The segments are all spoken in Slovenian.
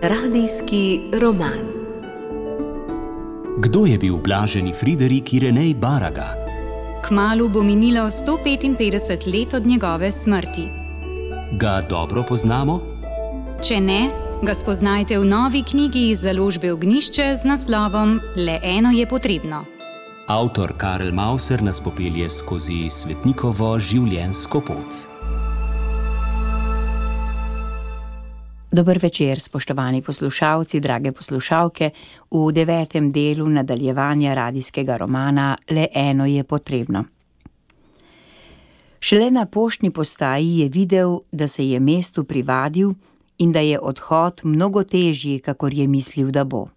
Radijski roman. Kdo je bil blaženi Friderik Irenej Baraga? Kmalu bo minilo 155 let od njegove smrti. Ga dobro poznamo? Če ne, ga spoznajte v novi knjigi iz založbe Ognjišče z naslovom Le eno je potrebno. Avtor Karel Mauser nas popelje skozi svetnikovo življenjsko pot. Dober večer, spoštovani poslušalci, drage poslušalke, v 9. delu nadaljevanja radijskega romana Le eno je potrebno. Šele na poštni postaji je videl, da se je mestu privadil in da je odhod mnogo težji, kakor je mislil, da bo.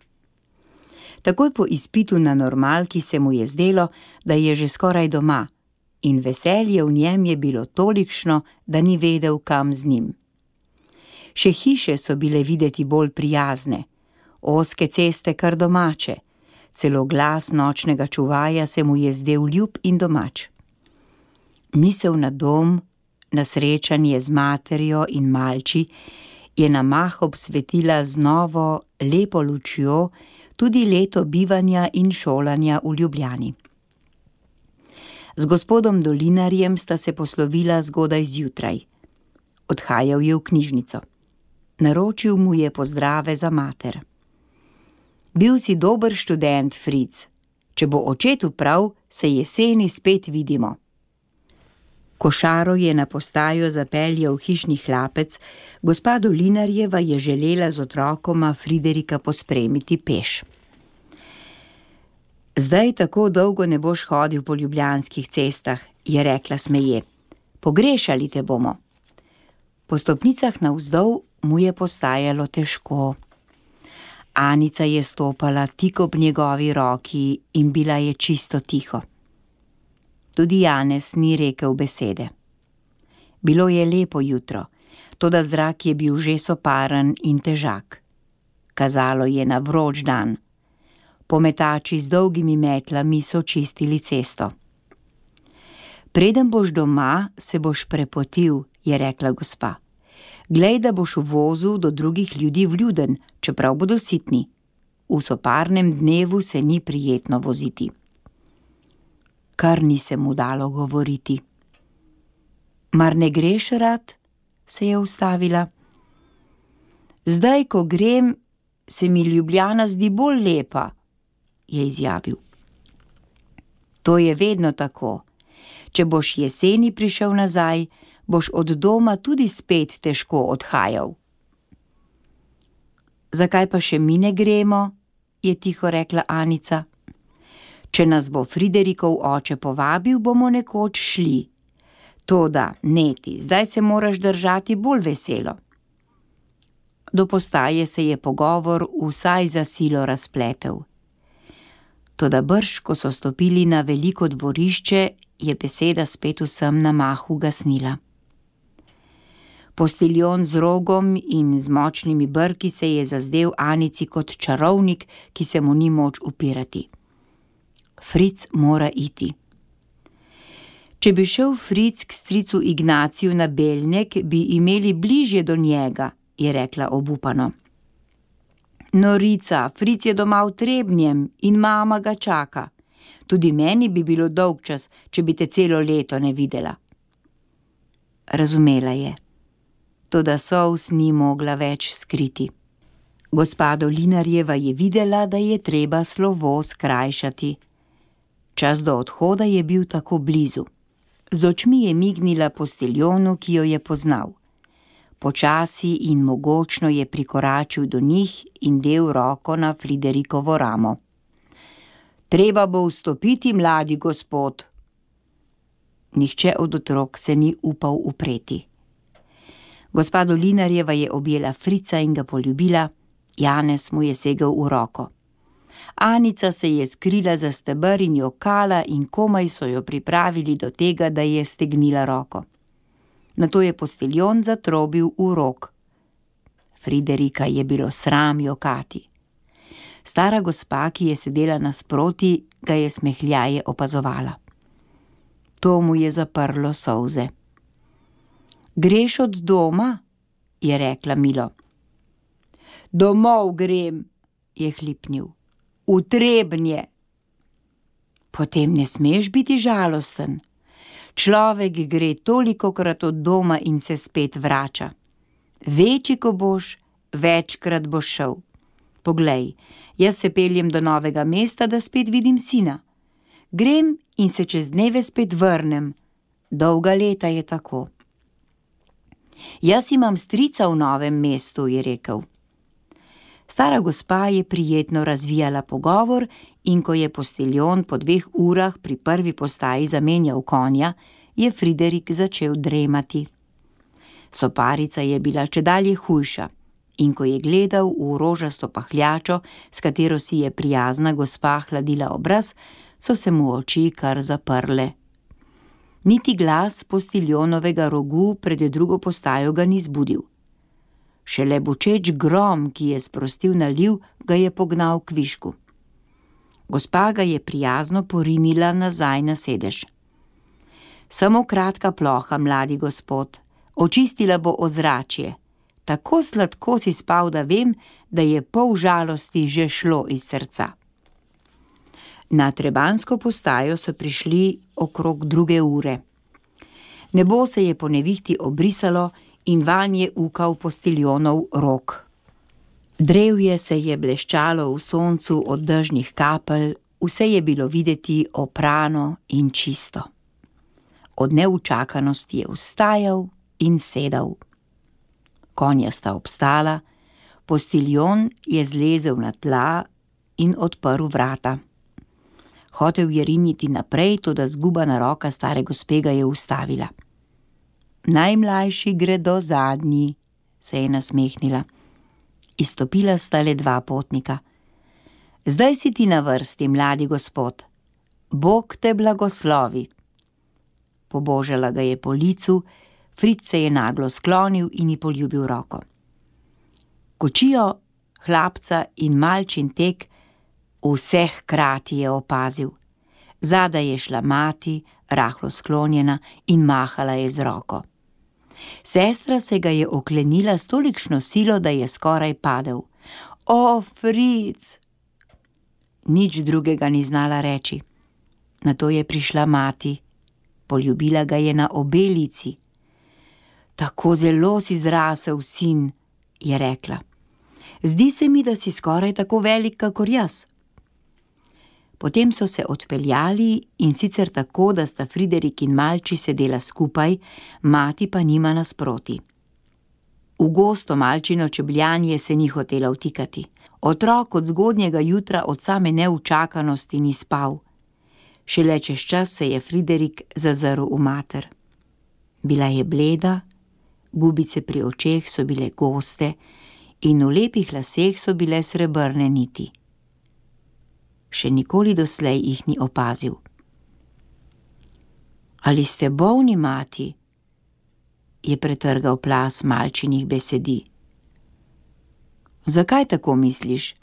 Takoj po izpitu na normalki se mu je zdelo, da je že skoraj doma, in veselje v njem je bilo tolikšno, da ni vedel, kam z njim. Še hiše so bile videti bolj prijazne, ozke ceste kar domače, celo glas nočnega čuvaja se mu je zdel ljub in domač. Misel na dom, na srečanje z materjo in malči, je na mah obsvetila z novo, lepo lučjo tudi leto bivanja in šolanja v Ljubljani. Z gospodom Dolinarjem sta se poslovila zgodaj zjutraj. Odhajal je v knjižnico. Naročil mu je pozdrave za mater. Bil si dober študent, Fric. Če bo očetu prav, se jeseni spet vidimo. Košaro je na postajo zapeljal hišni hlapec, gospa Dolinarjeva je želela z otrokoma Friderika pospremiti peš. Zdaj tako dolgo ne boš hodil po ljubljanskih cestah, je rekla smeje. Pogrešali te bomo. Po stopnicah navzdol mu je postajalo težko. Anica je stopala tik ob njegovi roki in bila je čisto tiho. Tudi Janez ni rekel besede. Bilo je lepo jutro, toda zrak je bil že soparen in težak. Kazalo je na vroč dan. Pometači z dolgimi metlami so čistili cesto. Preden boš doma, se boš prepotil, je rekla gospa. Glej, da boš v vozu do drugih ljudi vljuden, čeprav bodo sitni. V soparnem dnevu se ni prijetno voziti. Kar ni se mu dalo govoriti. Mar ne greš rad? Se je ustavila. Zdaj, ko grem, se mi Ljubljana zdi bolj lepa, je izjavil. To je vedno tako. Če boš jeseni prišel nazaj, boš od doma tudi spet težko odhajal. Zakaj pa še mi ne gremo, je tiho rekla Anica. Če nas bo Friderikov oče povabil, bomo nekoč šli. Toda, neti, zdaj se moraš držati bolj veselo. Do postaje se je pogovor vsaj za silo razpletel. Toda brž, ko so stopili na veliko dvorišče, je beseda spet vsem na mahu gasnila. Postiljon z rogom in z močnimi brki se je zazdel Anici kot čarovnik, ki se mu ni moč upirati. Fric mora iti. Če bi šel Fric k stricu Ignaciju na Belnek, bi imeli bližje do njega, je rekla obupano. Norica, Fric je doma v Trebnjem in mama ga čaka. Tudi meni bi bilo dolgčas, če bi te celo leto ne videla. Razumela je. Toda solz ni mogla več skriti. Gospa Dolinarjeva je videla, da je treba slovo skrajšati. Čas do odhoda je bil tako blizu. Z očmi je mignila postiljonu, ki jo je poznal. Počasi in mogočno je prikoračil do njih in del roko na Friderikovo ramo. Treba bo vstopiti, mladi gospod. Nihče od otrok se ni upal upreti. Gospa Dolinarjeva je objela Frica in ga poljubila, Janez mu je segel v roko. Anica se je skrila za steber in jokala in komaj so jo pripravili do tega, da je stegnila roko. Nato je postiljon zatrobil v rog. Friderika je bilo sram jokati. Stara gospa, ki je sedela nasproti, ga je smehljaje opazovala. To mu je zaprlo solze. Greš od doma? je rekla milo. Domov grem, je hlipnil. V Trebnje. Potem ne smeš biti žalosten. Človek gre tolikokrat od doma in se spet vrača. Večji, ko boš, večkrat boš šel. Poglej, jaz se peljem do Novega mesta, da spet vidim sina. Grem in se čez dneve spet vrnem. Dolga leta je tako. Jaz imam strica v Novem mestu, je rekel. Stara gospa je prijetno razvijala pogovor in ko je postiljon po 2 urah pri prvi postaji zamenjal konja, je Friderik začel dremati. Soparica je bila čedalje hujša in ko je gledal v rožasto pahljačo, s katero si je prijazna gospa hladila obraz, so se mu oči kar zaprle. Niti glas postiljonovega rogu pred drugo postajo ga ni zbudil. Šele bočeč grom, ki je sprostil naliv, ga je pognal k višku. Gospa ga je prijazno porinila nazaj na sedež. Samo kratka ploha, mladi gospod, očistila bo ozračje. Tako sladko si spal, da vem, da je pol žalosti že šlo iz srca. Na trebansko postajo so prišli okrog 2 ure. Nebo se je po nevihti obrisalo in vanje ukal postiljonov rog. Drevje se je bleščalo v soncu od dežnih kapelj, vse je bilo videti oprano in čisto. Od neučakanosti je vstajal in sedal. Konja sta obstala, postiljon je zlezel na tla in odprl vrata. Hotel je riniti naprej, toda zgubana roka stare gospe ga je ustavila. Najmlajši gredo zadnji, se je nasmehnila. Izstopila sta le 2 potnika. Zdaj si ti na vrsti, mladi gospod. Bog te blagoslovi. Pobožala ga je po licu, Fritz se je naglo sklonil in ji poljubil roko. Kočijo, hlapca in malčin tek, vseh hkrati je opazil. Zadaj je šla mati, rahlo sklonjena, in mahala je z roko. Sestra se ga je oklenila s tolikšno silo, da je skoraj padel. O, Fritz! Nič drugega ni znala reči. Nato je prišla mati. Poljubila ga je na obe lici. Tako zelo si zrasel, sin, je rekla. Zdi se mi, da si skoraj tako velik, kakor jaz. Potem so se odpeljali in sicer tako, da sta Friderik in malči sedela skupaj, mati pa njima nasproti. V gosto malčino čebljanje se ni hotela vtikati. Otrok od zgodnjega jutra od same neučakanosti ni spal. Šele čez čas se je Friderik zazrl v mater. Bila je bleda, gubice pri očeh so bile goste in v lepih laseh so bile srebrne niti. Še nikoli doslej jih ni opazil. Ali ste bolni, mati? Je pretrgal plaz malčinih besedi. Zakaj tako misliš?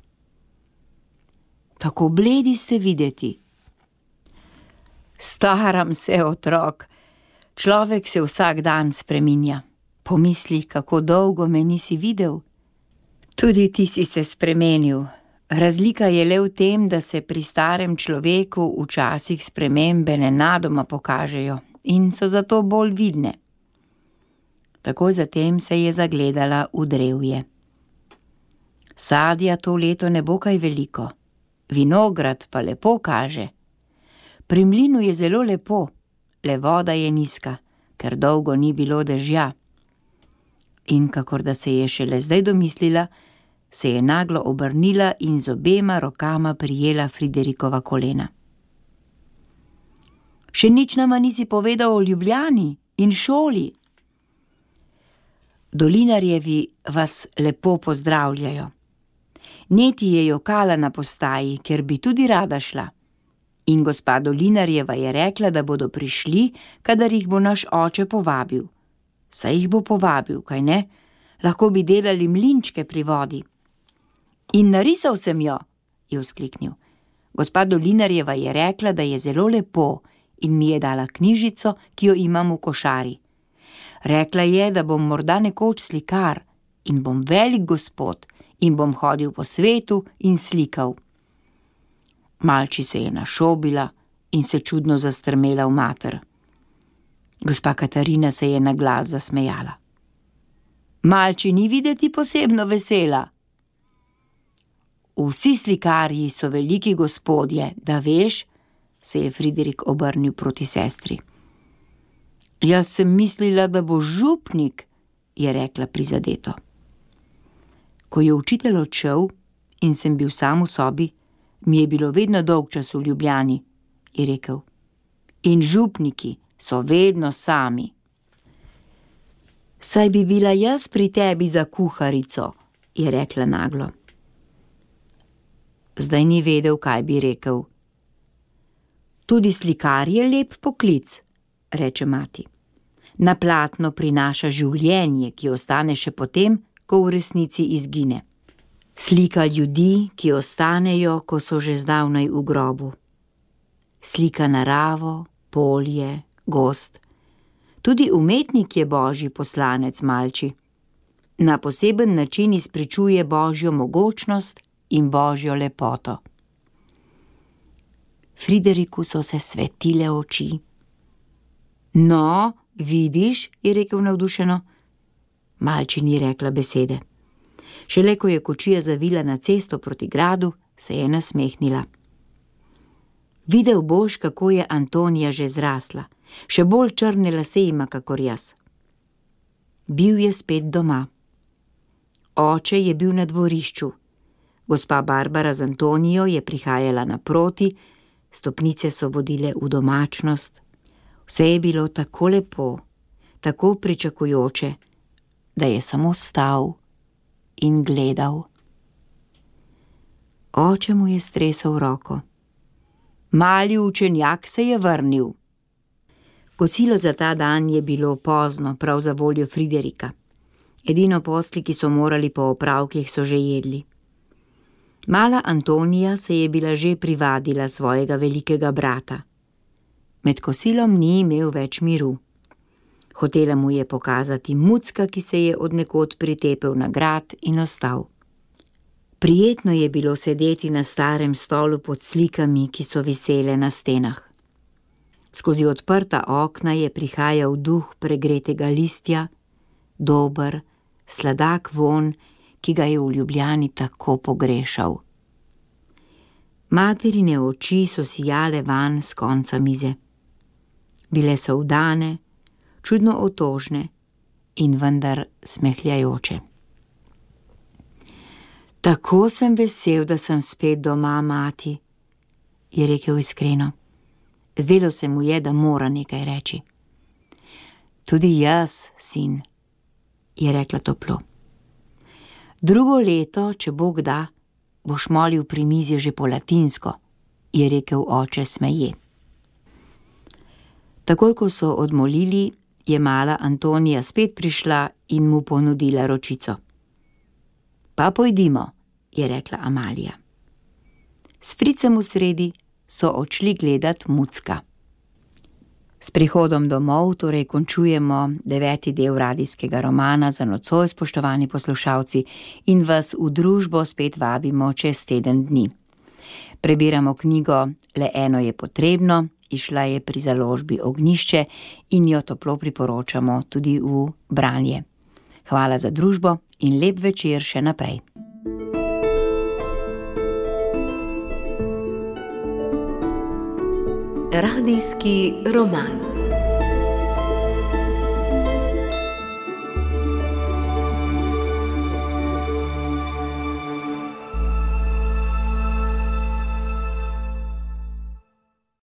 Tako bledi ste videti. Staram se, otrok. Človek se vsak dan spreminja. Pomisli, kako dolgo me nisi videl. Tudi ti si se spremenil. Razlika je le v tem, da se pri starem človeku včasih spremembe nenadoma pokažejo in so zato bolj vidne. Takoj zatem se je zagledala v drevje. Sadja to leto ne bo kaj veliko, vinograd pa lepo kaže. Pri mlinu je zelo lepo, le voda je nizka, ker dolgo ni bilo dežja. In kakor da se je šele zdaj domislila, se je naglo obrnila in z obema rokama prijela Friderikova kolena. Še nič nama nisi povedal o Ljubljani in šoli. Dolinarjevi vas lepo pozdravljajo. Neti je jokala na postaji, ker bi tudi rada šla. In gospa Dolinarjeva je rekla, da bodo prišli, kadar jih bo naš oče povabil. Saj jih bo povabil, kaj ne? Lahko bi delali mlinčke pri vodi. In narisal sem jo, je vzkliknil. Gospa Dolinarjeva je rekla, da je zelo lepo in mi je dala knjižico, ki jo imam v košari. Rekla je, da bom morda nekoč slikar in bom velik gospod in bom hodil po svetu in slikal. Malči se je našobila in se čudno zastrmela v mater. Gospa Katarina se je na glas zasmejala. Malči ni videti posebno vesela. Vsi slikarji so veliki gospodje, da veš, se je Friderik obrnil proti sestri. Jaz sem mislila, da bo župnik, je rekla prizadeto. Ko je učitelj odšel in sem bil sam v sobi, mi je bilo vedno dolgčas v Ljubljani, je rekel. In župniki so vedno sami. Saj bi bila jaz pri tebi za kuharico, je rekla naglo. Zdaj ni vedel, kaj bi rekel. Tudi slikar je lep poklic, reče mati. Na platno prinaša življenje, ki ostane še potem, ko v resnici izgine. Slika ljudi, ki ostanejo, ko so že zdavnaj v grobu. Slika naravo, polje, gozd. Tudi umetnik je božji poslanec, Malči. Na poseben način izpričuje božjo mogočnost in božjo lepoto. Frideriku so se svetile oči. No, vidiš, je rekel navdušeno. Malči ni rekla besede. Šele ko je kočija zavila na cesto proti gradu, se je nasmehnila. Videl boš, kako je Antonija že zrasla. Še bolj črne lase ima, kakor jaz. Bil je spet doma. Oče je bil na dvorišču. Gospa Barbara z Antonijo je prihajala naproti, stopnice so vodile v domačnost. Vse je bilo tako lepo, tako pričakujoče, da je samo stal in gledal. Oče mu je stresel roko. Mali učenjak se je vrnil. Kosilo za ta dan je bilo pozno, prav za voljo Friderika. Edino posli, ki so morali po opravkih, so že jedli. Mala Antonija se je bila že privadila svojega velikega brata. Med kosilom ni imel več miru. Hotela mu je pokazati mucka, ki se je od nekod pritepel na grad in ostal. Prijetno je bilo sedeti na starem stolu pod slikami, ki so visele na stenah. Skozi odprta okna je prihajal duh pregretega listja, dober, sladak vonj, ki ga je v Ljubljani tako pogrešal. Materine oči so sijale van s konca mize. Bile so vdane, čudno otožne in vendar smehljajoče. Tako sem vesel, da sem spet doma, mati, je rekel iskreno. Zdelo se mu je, da mora nekaj reči. Tudi jaz, sin, je rekla toplo. Drugo leto, če Bog da, boš molil pri mizi že po latinsko, je rekel oče smeje. Takoj, ko so odmolili, je mala Antonija spet prišla in mu ponudila ročico. Pa pojdimo, je rekla Amalija. S fricem v sredi so odšli gledat mucka. S prihodom domov torej končujemo 9. del radijskega romana za nocoj, spoštovani poslušalci, in vas v družbo spet vabimo čez teden dni. Prebiramo knjigo Le eno je potrebno, izšla je pri založbi Ognjišče in jo toplo priporočamo tudi v branje. Hvala za družbo in lep večer še naprej. Radijski roman.